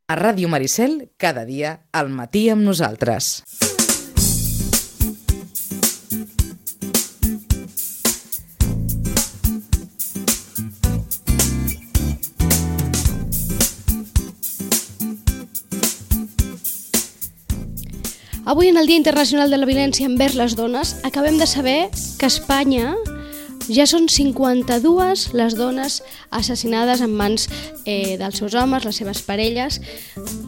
A Ràdio Maricel, cada dia, al matí amb nosaltres. Avui, en el Dia Internacional de la Violència envers les dones, acabem de saber que a Espanya ja són 52 les dones assassinades en mans dels seus homes, les seves parelles,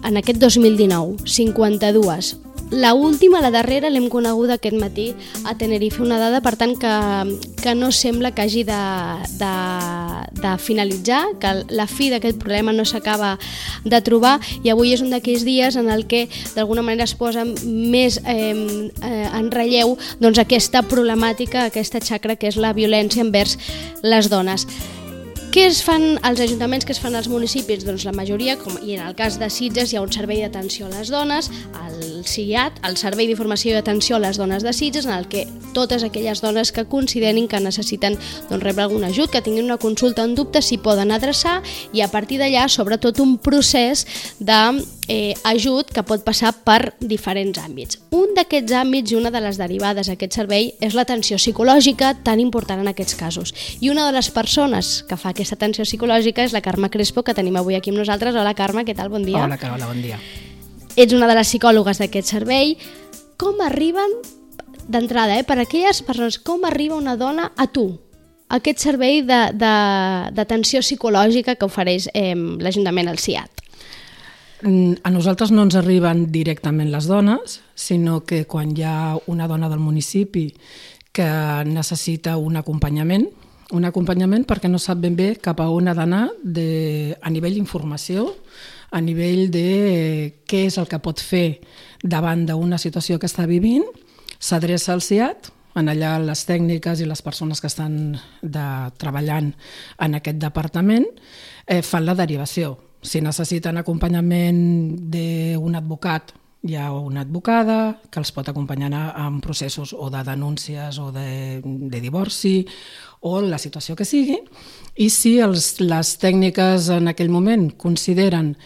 en aquest 2019. 52. La última, la darrera, l'hem coneguda aquest matí a Tenerife, una dada, per tant, que no sembla que hagi de finalitzar, que la fi d'aquest problema no s'acaba de trobar, i avui és un d'aquells dies en el que d'alguna manera es posa més en relleu doncs, aquesta problemàtica, aquesta xacra que és la violència envers les dones. Què es fan als ajuntaments, què es fan als municipis? Doncs la majoria, i en el cas de Sitges hi ha un servei d'atenció a les dones, el SIAT, el Servei d'Informació i Atenció a les Dones de Sitges, en el que totes aquelles dones que considerin que necessiten rebre algun ajut, que tinguin una consulta en dubte, s'hi poden adreçar, i a partir d'allà, sobretot, un procés d'ajut que pot passar per diferents àmbits. Un d'aquests àmbits i una de les derivades d'aquest servei és l'atenció psicològica, tan important en aquests casos. I una de les persones que fa aquesta atenció psicològica és la Carme Crespo, que tenim avui aquí amb nosaltres. Hola, Carme, què tal? Bon dia. Hola, Carola, bon dia. Ets una de les psicòlogues d'aquest servei. Com arriben, d'entrada, per aquelles persones, com arriba una dona a tu? Aquest servei d'atenció psicològica que ofereix l'Ajuntament, el SIAT. A nosaltres no ens arriben directament les dones, sinó que quan hi ha una dona del municipi que necessita un acompanyament perquè no sap ben bé cap a on ha d'anar a nivell d'informació, a nivell de què és el que pot fer davant d'una situació que està vivint, s'adreça al SIAT, en allà les tècniques i les persones que estan treballant en aquest departament fan la derivació. Si necessiten acompanyament d'un advocat, hi ha una advocada que els pot acompanyar en processos o de denúncies o de divorci o la situació que sigui, i si les tècniques en aquell moment consideren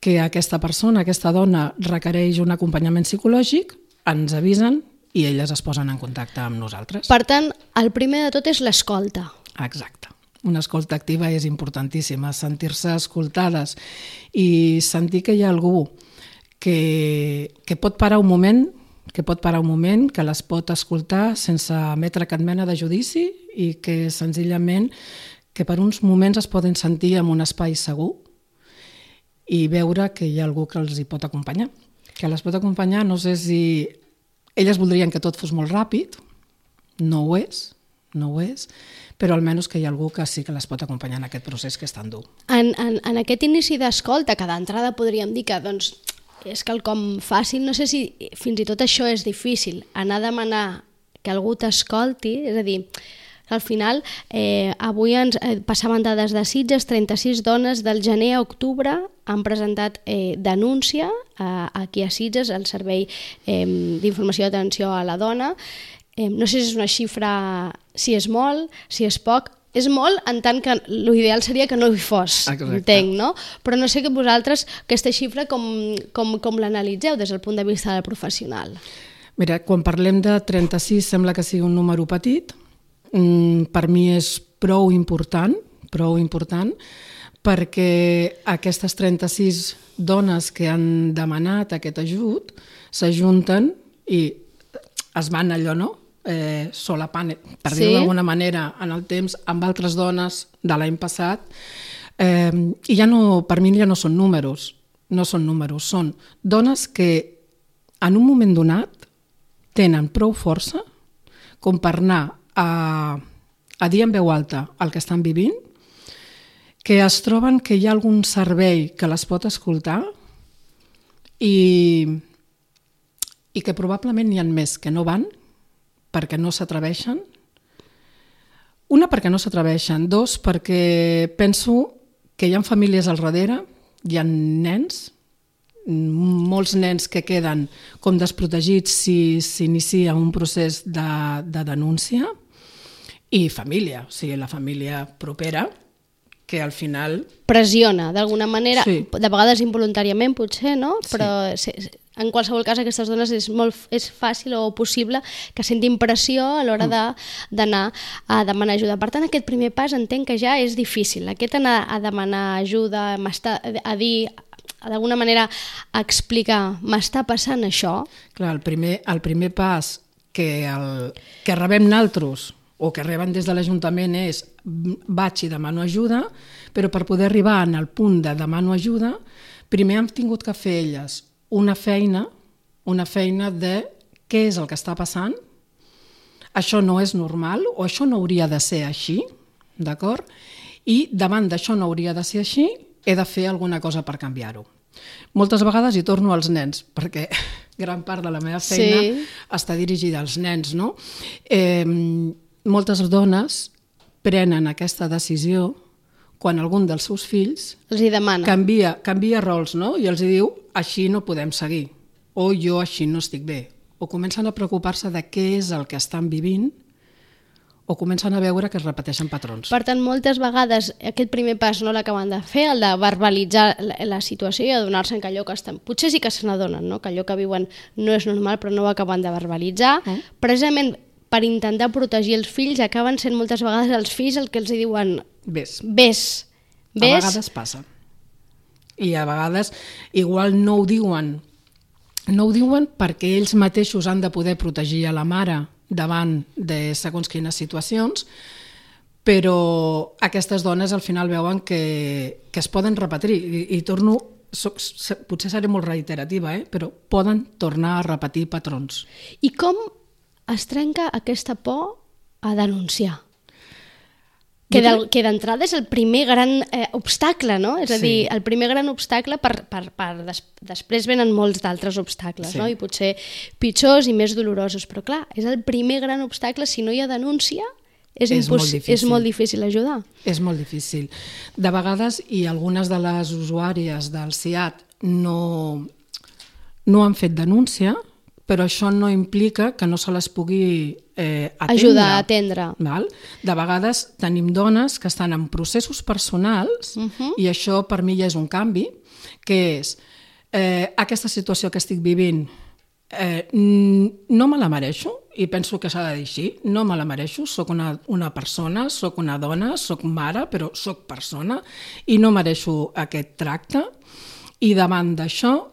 que aquesta persona, aquesta dona, requereix un acompanyament psicològic, ens avisen i elles es posen en contacte amb nosaltres. Per tant, el primer de tot és l'escolta. Exacte. Una escolta activa és importantíssima, sentir-se escoltades i sentir que hi ha algú que pot parar un moment, que les pot escoltar sense emetre cap mena de judici i que senzillament que per uns moments es poden sentir en un espai segur i veure que hi ha algú que els hi pot acompanyar. Que les pot acompanyar, no sé si elles voldrien que tot fos molt ràpid, no ho és, però almenys que hi ha algú que sí que les pot acompanyar en aquest procés que és tan dur. En aquest inici d'escolta, que d'entrada podríem dir que és quelcom fàcil, no sé si fins i tot això és difícil, anar a demanar que algú t'escolti, és a dir, al final, avui ens passaven dades de Sitges, 36 dones del gener a octubre han presentat denúncia aquí a Sitges, al Servei d'Informació i Atenció a la Dona. No sé si és una xifra, si és molt, si és poc. És molt, en tant que l'ideal seria que no hi fos, entenc, no? Però no sé que vosaltres aquesta xifra com l'analitzeu des del punt de vista del professional. Mira, quan parlem de 36 sembla que sigui un número petit. Per mi és prou important, perquè aquestes 36 dones que han demanat aquest ajut s'ajunten i es van allò, no? Solapant, per dir-ho d'alguna manera, en el temps amb altres dones de l'any passat, i ja no, per mi ja no són números, són dones que en un moment donat tenen prou força com per anar a dir en veu alta el que estan vivint, que es troben que hi ha algun servei que les pot escoltar i que probablement n'hi ha més que no van perquè no s'atreveixen. Una, perquè no s'atreveixen. Dos, perquè penso que hi ha famílies al darrere, hi ha nens, molts nens que queden com desprotegits si s'inicia un procés de denúncia, i família, o sigui, la família propera, que al final... Pressiona, d'alguna manera, Sí. de vegades involuntàriament potser, no? Sí. Però en qualsevol cas aquestes dones és fàcil o possible que sentin pressió a l'hora d'anar a demanar ajuda. Per tant, aquest primer pas entenc que ja és difícil. Aquest anar a demanar ajuda, a dir, d'alguna manera, a explicar, m'està passant això. Clar, el primer pas que rebem naltros o que reben des de l'Ajuntament és vaig i demano ajuda, però per poder arribar al punt de demano ajuda, primer hem tingut que fer elles una feina de què és el que està passant, això no és normal o això no hauria de ser així, d'acord? I davant d'això no hauria de ser així, he de fer alguna cosa per canviar-ho. Moltes vegades hi torno als nens, perquè gran part de la meva feina està dirigida als nens, no? Moltes dones prenen aquesta decisió quan algun dels seus fills Els hi demana. canvia rols, no? I els diu, així no podem seguir, o jo així no estic bé. O comencen a preocupar-se de què és el que estan vivint, o comencen a veure que es repeteixen patrons. Per tant, moltes vegades aquest primer pas no l'acaben de fer, el de verbalitzar la situació i adonar-se que allò que estan... Potser sí que se n'adonen, no? Que allò que viuen no és normal, però no ho acaben de verbalitzar. Precisament per intentar protegir els fills, acaben sent moltes vegades els fills el que els diuen Ves. A vegades passa. I a vegades igual no ho diuen perquè ells mateixos han de poder protegir a la mare davant de segons quines situacions, però aquestes dones al final veuen que es poden repetir i torno, potser seré molt reiterativa, però poden tornar a repetir patrons. I com es trenca aquesta por a denunciar? Que d'entrada és el primer gran obstacle, no? És a dir, el primer gran obstacle després venen molts d'altres obstacles, no? I potser pitjors i més dolorosos, però clar, és el primer gran obstacle. Si no hi ha denúncia, és molt difícil ajudar. És molt difícil. De vegades, i algunes de les usuàries del SIAD no han fet denúncia, però això no implica que no se les pugui atendre. Ajudar a atendre. Val? De vegades tenim dones que estan en processos personals i això per mi ja és un canvi, que és aquesta situació que estic vivint no me la mereixo, i penso que s'ha de dir així, no me la mereixo, soc una persona, soc una dona, soc mare, però soc persona i no mereixo aquest tracte, i davant d'això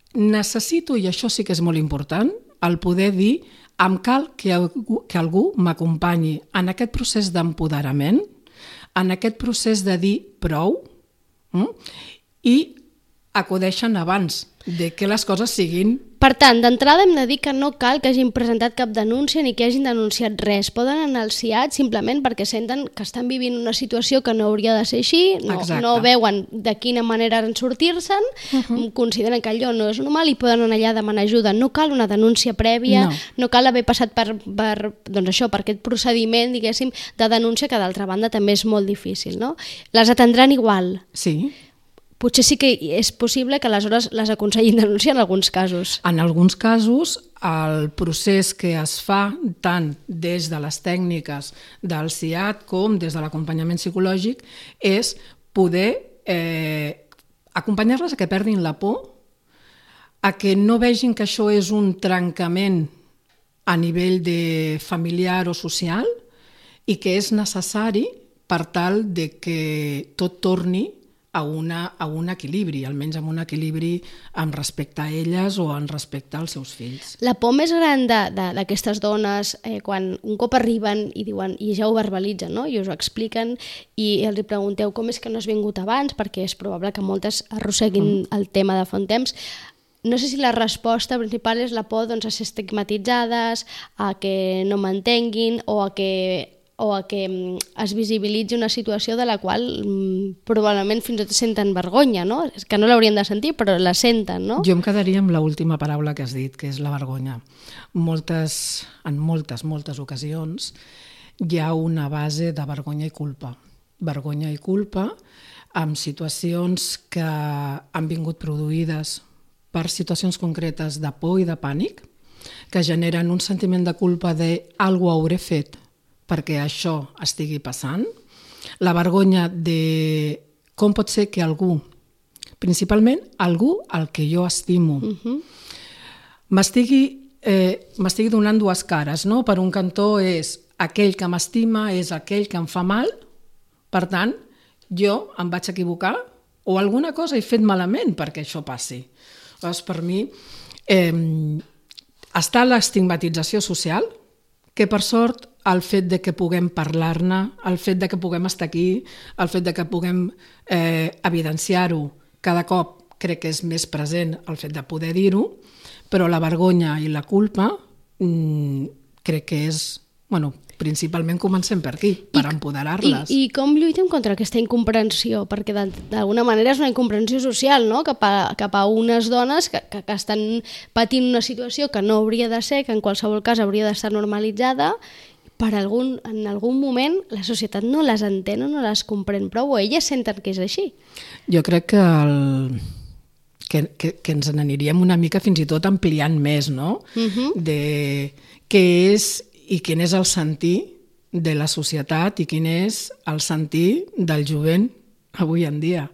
necessito, i això sí que és molt important, el poder dir em cal que algú m'acompanyi en aquest procés d'empoderament, en aquest procés de dir prou, i acudeixen abans de que les coses siguin... Per tant, d'entrada hem de dir que no cal que hagin presentat cap denúncia ni que hagin denunciat res. Poden anar al SIAD simplement perquè senten que estan vivint una situació que no hauria de ser així, no veuen de quina manera en sortir-se'n, consideren que allò no és normal i poden anar allà a demanar ajuda. No cal una denúncia prèvia, no cal haver passat per aquest procediment, diguéssim, de denúncia, que d'altra banda també és molt difícil, no? Les atendran igual. Sí. Potser sí que és possible que aleshores les aconsellin denunciar en alguns casos. En alguns casos, el procés que es fa tant des de les tècniques del SIAD com des de l'acompanyament psicològic és poder acompanyar-les a que perdin la por, a que no vegin que això és un trencament a nivell de familiar o social i que és necessari per tal de que tot torni a un equilibri, almenys amb un equilibri amb respecte a elles o en respecte als seus fills. La por més gran d'aquestes dones, quan un cop arriben i diuen, i ja ho verbalitzen, no? I us ho expliquen i els pregunteu com és que no has vingut abans, perquè és probable que moltes arrosseguin el tema de fa un temps. No sé si la resposta principal és la por a ser estigmatitzades, a que no m'entenguin o a que es visibilitzi una situació de la qual probablement fins i tot senten vergonya, no? És que no l'haurien de sentir, però la senten, no? Jo em quedaria amb l'última paraula que has dit, que és la vergonya. En moltes ocasions hi ha una base de vergonya i culpa. Vergonya i culpa amb situacions que han vingut produïdes per situacions concretes de por i de pànic, que generen un sentiment de culpa de alguna cosa hauré fet perquè això estigui passant, La vergonya de com pot ser que algú, principalment algú al que jo estimo, m'estigui donant dues cares, no? Per un cantó és aquell que m'estima, és aquell que em fa mal, per tant, jo em vaig equivocar o alguna cosa he fet malament perquè això passi. Llavors, per mi, està l'estigmatització social, que per sort el fet de que puguem parlar-ne, el fet de que puguem estar aquí, el fet de que puguem evidenciar-ho cada cop crec que és més present el fet de poder dir-ho, però la vergonya i la culpa crec que és, bueno, principalment comencem per aquí, per empoderar-les. I com lluitem contra aquesta incomprensió? Perquè d'alguna manera és una incomprensió social, no? Cap a unes dones que estan patint una situació que no hauria de ser, que en qualsevol cas hauria d'estar normalitzada, en algun moment la societat no les entén o no les comprèn prou, o elles senten que és així. Jo crec que ens n'aniríem una mica fins i tot ampliant més, no? De què és i quin és el sentir de la societat i quin és el sentir del jovent avui en dia.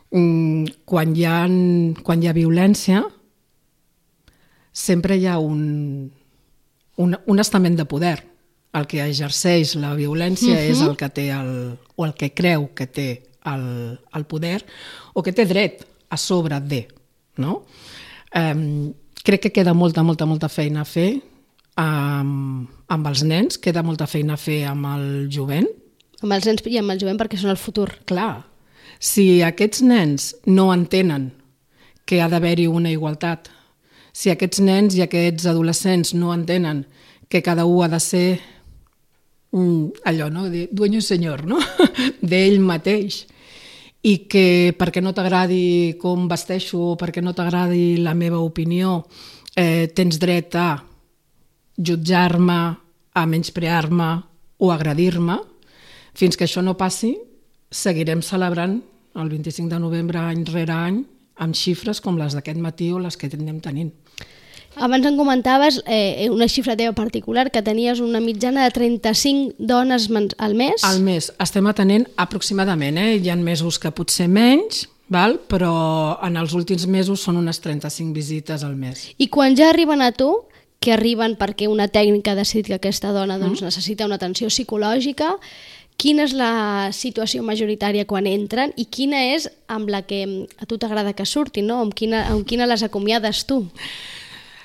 Quan hi ha violència, sempre hi ha un estament de poder. El que exerceix la violència és el que té o el que creu que té el poder o que té dret a sobre de. No? Crec que queda molta feina a fer amb els nens, queda molta feina a fer amb el jovent. Amb els nens i amb el jovent perquè són el futur. Clar, si aquests nens no entenen que ha d'haver-hi una igualtat, si aquests nens i aquests adolescents no entenen que cada un ha de ser allò, no? De dueño y señor, no? D'ell mateix, i que perquè no t'agradi com vesteixo o perquè no t'agradi la meva opinió tens dret a jutjar-me, a menysprear-me o agredir-me, fins que això no passi, seguirem celebrant el 25 de novembre any rere any amb xifres com les d'aquest matí o les que anem tenint. Abans em comentaves una xifra teva particular, que tenies una mitjana de 35 dones al mes. Al mes. Estem atenent aproximadament, hi ha mesos que potser menys, però en els últims mesos són unes 35 visites al mes. I quan ja arriben a tu, que arriben perquè una tècnica ha decidit que aquesta dona necessita una atenció psicològica, quina és la situació majoritària quan entren i quina és amb la que a tu t'agrada que surtin, no? Amb quina les acomiades tu?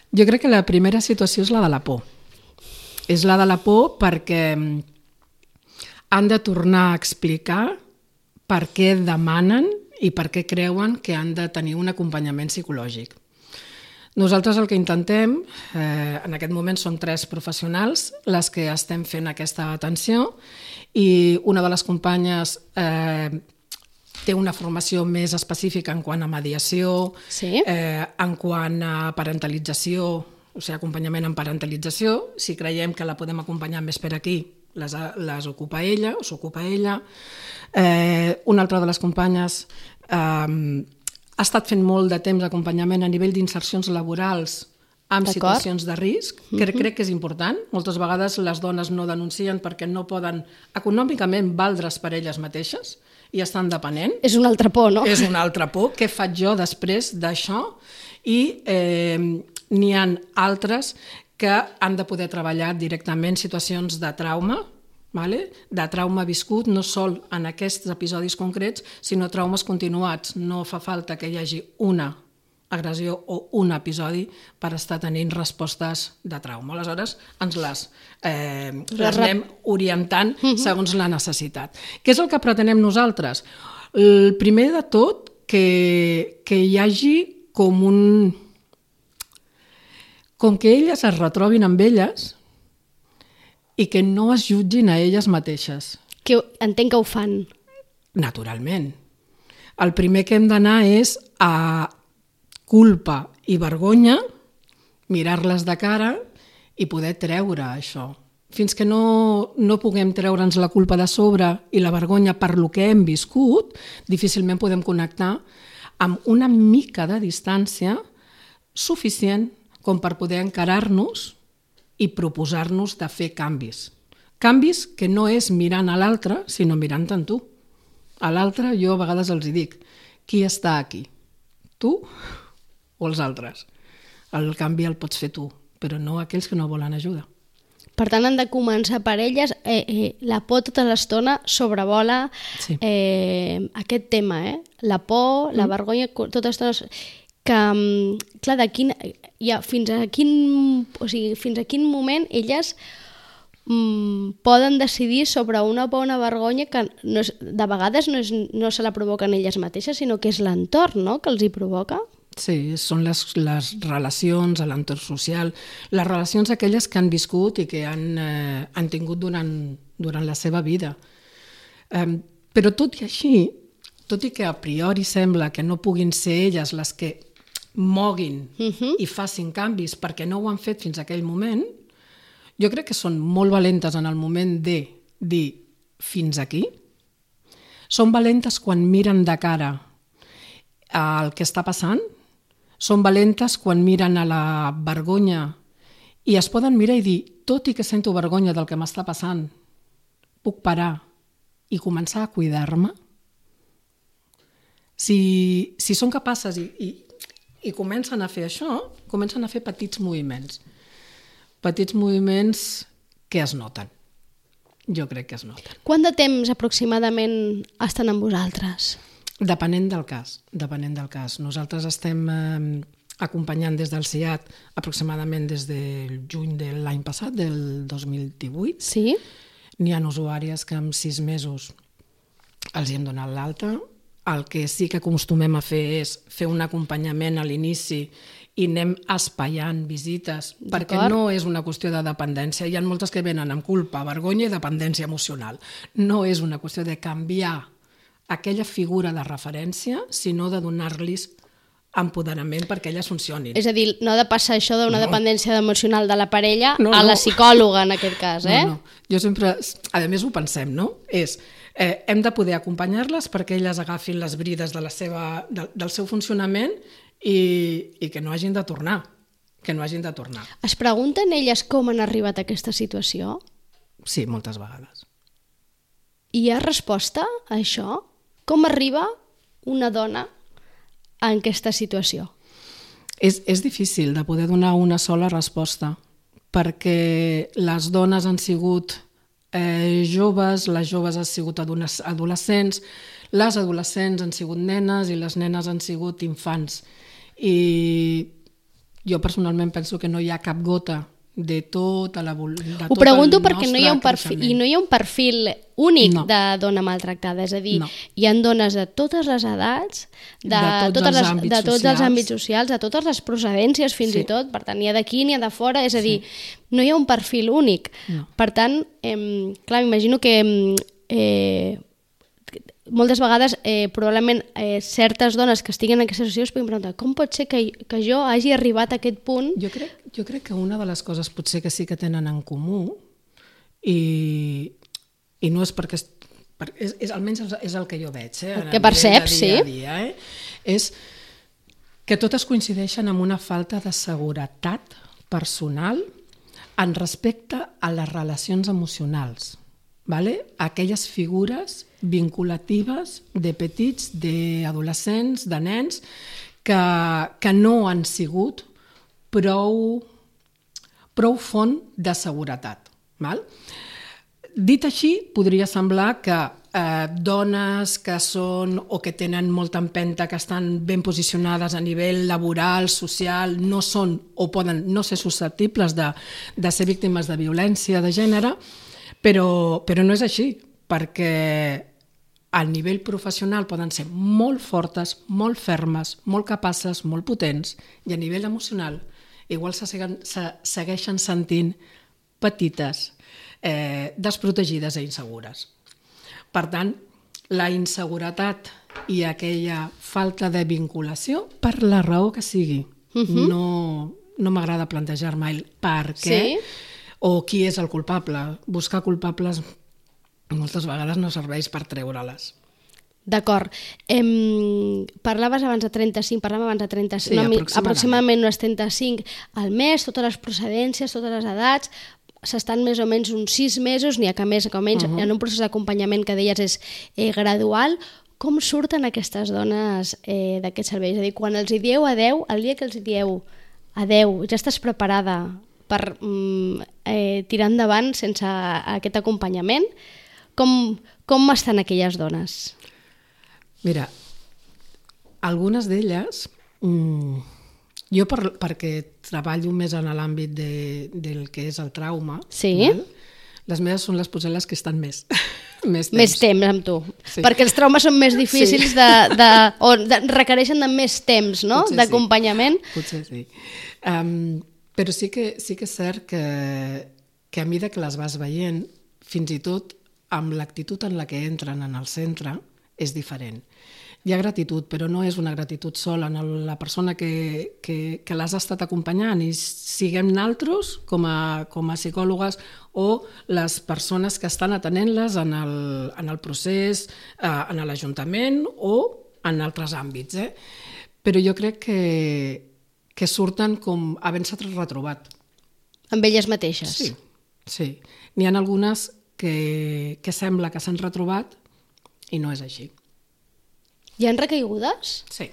Jo crec que la primera situació és la de la por. És la de la por perquè han de tornar a explicar per què demanen i per què creuen que han de tenir un acompanyament psicològic. Nosaltres el que intentem, en aquest moment són 3 professionals les que estem fent aquesta atenció i una de les companyes té una formació més específica en quant a mediació, en quant a parentalització, o sigui, acompanyament en parentalització. Si creiem que la podem acompanyar més per aquí, les ocupa ella o s'ocupa ella. Una altra de les companyes ha estat fent molt de temps d'acompanyament a nivell d'insercions laborals amb situacions de risc, que crec que és important. Moltes vegades les dones no denuncien perquè no poden econòmicament valdre's per elles mateixes i estan depenent. És una altra por, no? És una altra por. Què faig jo després d'això? I n'hi ha altres que han de poder treballar directament situacions de trauma, de trauma viscut, no sol en aquests episodis concrets, sinó traumes continuats. No fa falta que hi hagi una agressió o un episodi per estar tenint respostes de trauma. Aleshores, ens les anem orientant segons la necessitat. Què és el que pretenem nosaltres? El primer de tot, que hi hagi com que elles es retrobin amb elles i que no es jutgin a elles mateixes. Que entenc que ho fan. Naturalment. El primer que hem d'anar és a culpa i vergonya, mirar-les de cara i poder treure això. Fins que no puguem treure'ns la culpa de sobre i la vergonya per lo que hem viscut, difícilment podem connectar amb una mica de distància suficient com per poder encarar-nos i proposar-nos de fer canvis. Canvis que no és mirant a l'altre, sinó mirant en tu. A l'altre jo a vegades els dic, qui està aquí? Tu o els altres? El canvi el pots fer tu, però no aquells que no volen ajuda. Per tant, han de començar per elles. La por tota l'estona sobrevola aquest tema, la por, la vergonya, tota l'estona... Que, clar, fins a quin moment elles poden decidir sobre una por o una vergonya que de vegades no se la provoquen elles mateixes, sinó que és l'entorn, no?, que els hi provoca. Sí, són les relacions a l'entorn social, les relacions aquelles que han viscut i que han tingut durant la seva vida. Però tot i així, tot i que a priori sembla que no puguin ser elles les que moguin i facin canvis perquè no ho han fet fins a aquell moment, jo crec que són molt valentes en el moment de dir fins aquí. Són valentes quan miren de cara al que està passant, són valentes quan miren a la vergonya i es poden mirar i dir, tot i que sento vergonya del que m'està passant, puc parar i començar a cuidar-me? Si són capaces i comencen a fer això, comencen a fer petits moviments que es noten. Jo crec que es noten. Quant de temps aproximadament estan amb vosaltres? Depenent del cas. Nosaltres estem acompanyant des del CIAT aproximadament des del juny de l'any passat, del 2018. Sí? N'hi ha usuàries que en 6 mesos els hi hem donat l'alta. El que sí que acostumem a fer és fer un acompanyament a l'inici i anem espaiant visites, perquè no és una qüestió de dependència. Hi ha moltes que venen amb culpa, vergonya i dependència emocional. No és una qüestió de canviar aquella figura de referència, sinó de donar-los empoderament perquè elles funcionin. És a dir, no ha de passar això d'una dependència emocional de la parella a la psicòloga, en aquest cas, No. Jo sempre, a més ho pensem, no? Hem de poder acompanyar-les perquè elles agafin les brides del seu funcionament i que no hagin de tornar. Es pregunten elles com han arribat a aquesta situació? Sí, moltes vegades. I hi ha resposta a això? Com arriba una dona en aquesta situació? És difícil de poder donar una sola resposta, perquè les dones han sigut joves, les joves han sigut adolescents, les adolescents han sigut nenes i les nenes han sigut infants. I jo personalment penso que no hi ha cap gota de tota la Ho pregunto perquè no hi ha un perfil, i no hi ha un perfil únic de dona maltractada, és a dir, hi ha dones de totes les edats, de tots els àmbits socials, de totes les procedències fins i tot, per tant, ni ha d'aquí ni ha de fora, és a dir, no hi ha un perfil únic. Per tant, clar, m'imagino que moltes vegades probablement certes dones que estiguen en aquesta situació es poden preguntar com pot ser que jo hagi arribat a aquest punt? Jo crec que una de les coses potser que sí que tenen en comú i no és perquè almenys és el que jo veig que perceps, sí, és que totes coincideixen amb una falta de seguretat personal en respecte a les relacions emocionals. Aquelles figures vinculatives de petits, d'adolescents, de nens, que no han sigut prou font de seguretat. Dit així, podria semblar que dones que són o que tenen molta empenta, que estan ben posicionades a nivell laboral, social, no són o poden no ser susceptibles de ser víctimes de violència de gènere, però no és així, perquè a nivell professional poden ser molt fortes, molt fermes, molt capaces, molt potents, i a nivell emocional igual se segueixen sentint petites, desprotegides i insegures. Per tant, la inseguretat i aquella falta de vinculació, per la raó que sigui, no m'agrada plantejar mai per què o qui és el culpable. Buscar culpables moltes vegades no serveix per treure-les. D'acord. Parlaves abans de 35, aproximadament unes 35 al mes, totes les procedències, totes les edats. s'estan més o menys uns 6 mesos, n'hi ha que més que menys, en un procés d'acompanyament que deies és gradual. Com surten aquestes dones d'aquest servei? És a dir, quan els hi dieu adeu, el dia que els hi dieu adeu, ja estàs preparada per tirar endavant sense aquest acompanyament? Com estan aquelles dones? Mira, algunes d'elles, jo perquè treballo més en l'àmbit del que és el trauma, les meves són les potser les que estan més temps amb tu, perquè els traumes són més difícils o requereixen de més temps, no? D'acompanyament. Potser sí. Però sí que és cert que a mesura que les vas veient, fins i tot amb l'actitud en la que entren en el centre, és diferent. Hi ha gratitud, però no és una gratitud sola en la persona que l'has estat acompanyant, i siguem naltros com a psicòlogues o les persones que estan atenent-les en el procés, en l'Ajuntament o en altres àmbits. Però jo crec que surten com havent-se retrobat. Amb elles mateixes? Sí. N'hi ha algunes que sembla que s'han retrobat i no és així. Hi ha recaigudes? Sí.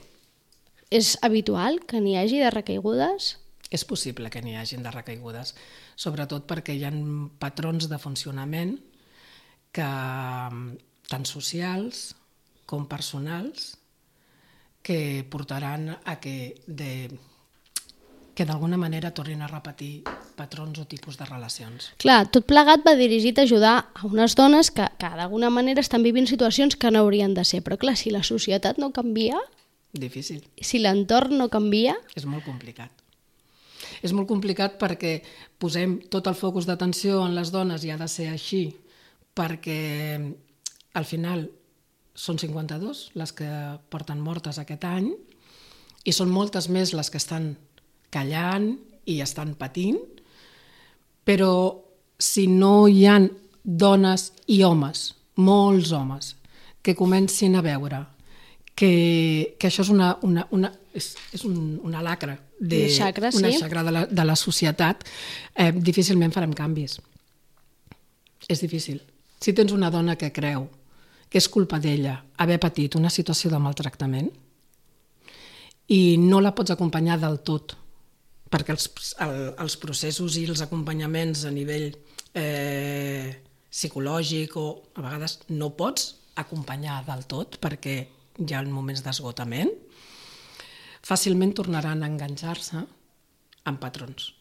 És habitual que n'hi hagi de recaigudes? És possible que n'hi hagi de recaigudes, sobretot perquè hi ha patrons de funcionament que, tant socials com personals, que portaran a que d'alguna manera tornin a repetir patrons o tipus de relacions. Clar, tot plegat va dirigit a ajudar a unes dones que d'alguna manera estan vivint situacions que no haurien de ser. Però clar, si la societat no canvia... Difícil. Si l'entorn no canvia... És molt complicat. És molt complicat perquè posem tot el focus d'atenció en les dones i ha de ser així, perquè al final són 52 les que porten mortes aquest any i són moltes més les que estan callant i estan patint, però si no hi ha dones i homes, molts homes, que comencin a veure que això és una lacra, una xacra de la societat, difícilment farem canvis. És difícil. Si tens una dona que creu que és culpa d'ella haver patit una situació de maltractament i no la pots acompanyar del tot, perquè els processos i els acompanyaments a nivell psicològic o a vegades no pots acompanyar del tot perquè hi ha moments d'esgotament, fàcilment tornaran a enganxar-se amb patrons.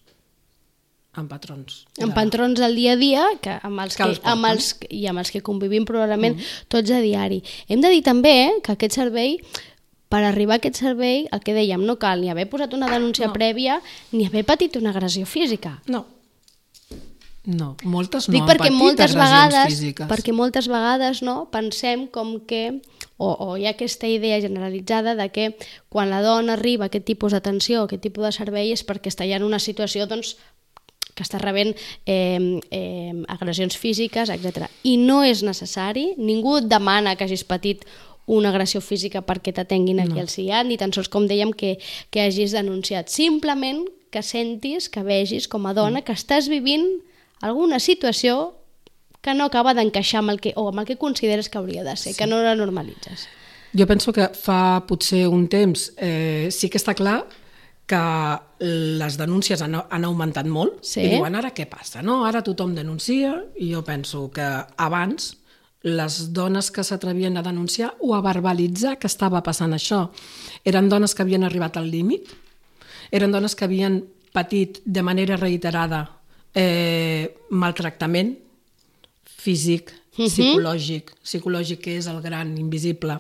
Amb patrons del dia a dia amb els que convivim probablement tots a diari. Hem de dir també que aquest servei, per arribar a aquest servei, el que dèiem, no cal ni haver posat una denúncia prèvia ni haver patit una agressió física. No, moltes no han patit agressions físiques. Perquè moltes vegades pensem com que, o hi ha aquesta idea generalitzada de que quan la dona arriba a aquest tipus d'atenció, a aquest tipus de servei, és perquè està ja en una situació que està rebent agressions físiques, etc. I no és necessari, ningú et demana que hagis patit una agressió física perquè t'atenguin aquí al CIAT, ni tan sols, com dèiem, que hagis denunciat. Simplement que sentis, que vegis com a dona que estàs vivint alguna situació que no acaba d'encaixar amb el que consideres que hauria de ser, que no la normalitzes. Jo penso que fa potser un temps sí que està clar que les denúncies han augmentat molt i diuen, ara què passa? Ara tothom denuncia, i jo penso que abans les dones que s'atrevien a denunciar o a verbalitzar que estava passant això eren dones que havien arribat al límit, eren dones que havien patit de manera reiterada maltractament físic, psicològic, que és el gran invisible,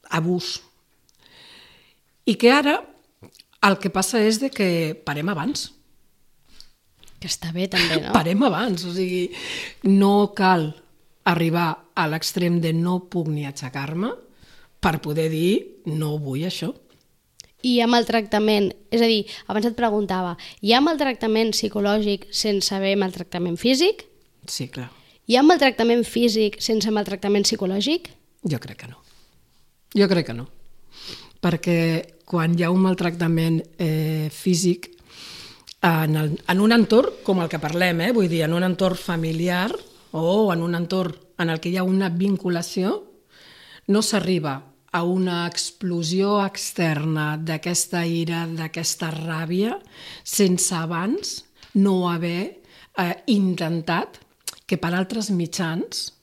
abús. I que ara el que passa és que parem abans. Que està bé també, no? Parem abans, o sigui, no cal arribar a l'extrem de no puc ni aixecar-me per poder dir no vull això. I amb el tractament, és a dir, abans et preguntava, hi ha maltractament psicològic sense haver maltractament físic? Sí, clar. Hi ha maltractament físic sense maltractament psicològic? Jo crec que no. Jo crec que no. Perquè quan hi ha un maltractament físic, en un entorn com el que parlem, vull dir, en un entorn familiar o en un entorn en el que hi ha una vinculació, no s'arriba a una explosió externa d'aquesta ira, d'aquesta ràbia, sense abans no haver intentat que per altres mitjans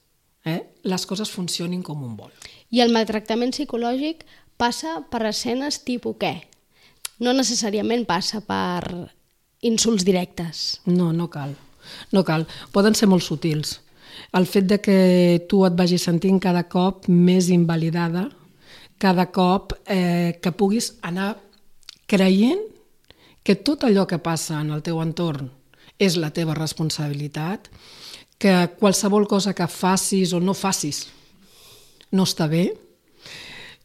les coses funcionin com un vol. I el maltractament psicològic passa per escenes tipus què? No necessàriament passa per insults directes. No, no cal. No cal. Poden ser molt sutils. El fet de que tu et vagis sentint cada cop més invalidada, cada cop que puguis anar creient que tot allò que passa en el teu entorn és la teva responsabilitat, que qualsevol cosa que facis o no facis no està bé.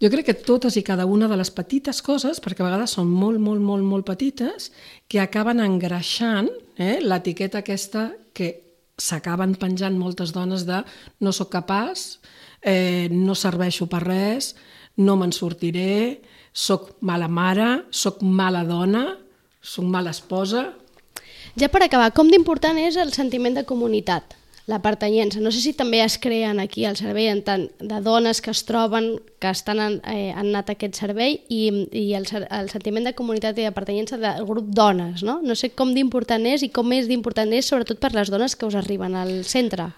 Jo crec que totes i cada una de les petites coses, perquè a vegades són molt petites, que acaben engreixant l'etiqueta aquesta que s'acaben penjant moltes dones de no sóc capaç, no serveixo per res, no me'n sortiré, sóc mala mare, sóc mala dona, sóc mala esposa. Ja per acabar, com d'important és el sentiment de comunitat, la pertanyença? No sé si també es creen aquí al servei en tant de dones que es troben, que han anat a aquest servei i el sentiment de comunitat i de pertanyença del grup dones, no? No sé com d'important és i com és d'important és sobretot per les dones que us arriben al centre.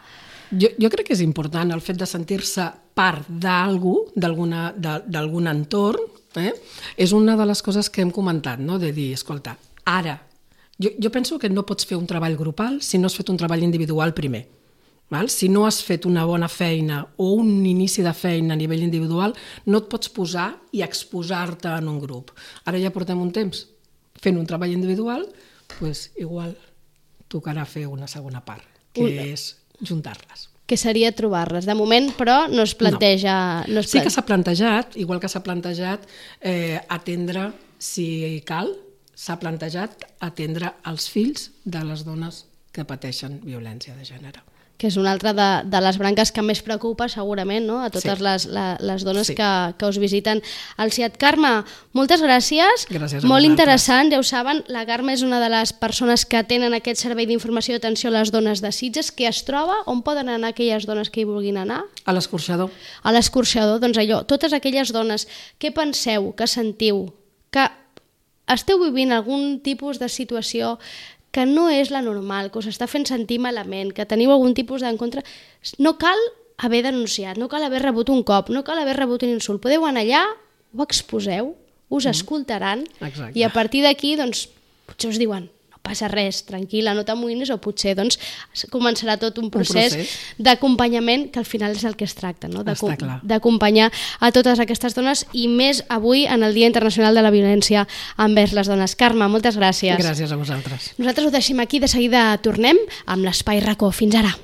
Jo crec que és important el fet de sentir-se part d'algú, d'algun entorn, és una de les coses que hem comentat, no? De dir, escolta, ara, jo penso que no pots fer un treball grupal si no has fet un treball individual primer. Si no has fet una bona feina o un inici de feina a nivell individual, no et pots posar i exposar-te en un grup. Ara ja portem un temps fent un treball individual, doncs igual tocarà fer una segona part, que és juntar-les. Que seria trobar-les. De moment, però, no es planteja... No. Sí que s'ha plantejat, igual que s'ha plantejat atendre, si cal, s'ha plantejat atendre els fills de les dones que pateixen violència de gènere. Que és una altra de les branques que més preocupa segurament, no? A totes les dones que us visiten al CIAT. Carme, moltes gràcies. Gràcies a molt vosaltres. Interessant, ja ho saben, la Carme és una de les persones que tenen aquest servei d'informació i atenció a les dones de Sitges, que es troba, on poden anar aquelles dones que hi vulguin anar? A l'Escorxador. A l'Escorxador, doncs allò, totes aquelles dones, què penseu, que sentiu, que esteu vivint algun tipus de situació que no és la normal, que us està fent sentir malament, que teniu algun tipus d'encontre, no cal haver denunciat, no cal haver rebut un cop, no cal haver rebut un insult. Podeu anar allà, ho exposeu, us escoltaran. Exacte. I a partir d'aquí, doncs, potser us diuen no passa res, tranquil·la, no t'amoïnis, o potser doncs, començarà tot un procés d'acompanyament, que al final és el que es tracta, no? D'acompanyar a totes aquestes dones i més avui en el Dia Internacional de la Violència envers les dones. Carme, moltes gràcies. Gràcies a vosaltres. Nosaltres ho deixem aquí, de seguida tornem amb l'Espai RACO. Fins ara.